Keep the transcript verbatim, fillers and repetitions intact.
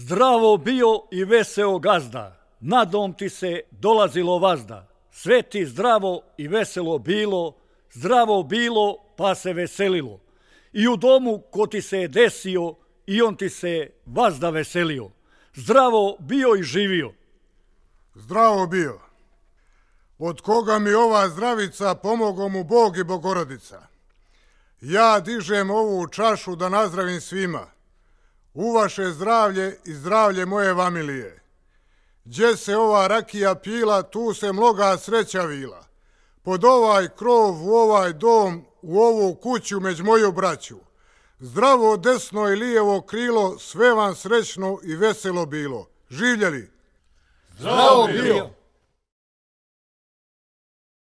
Zdravo bio i veseo gazda, na dom ti se dolazilo vazda. Sve ti zdravo i veselo bilo, zdravo bilo pa se veselilo. I u domu ko ti se je desio, i on ti se vazda veselio. Zdravo bio i živio. Zdravo bio. Od koga mi ova zdravica, pomogao mu Bog i Bogorodica. Ja dižem ovu čašu da nazdravim svima. U vaše zdravlje i zdravlje moje familije. Gdje se ova rakija pila, tu se mnoga sreća vila. Pod ovaj krov, u ovaj dom, u ovu kuću među moju braću. Zdravo desno i lijevo krilo, sve vam srećno i veselo bilo. Živjeli! Zdravo bio!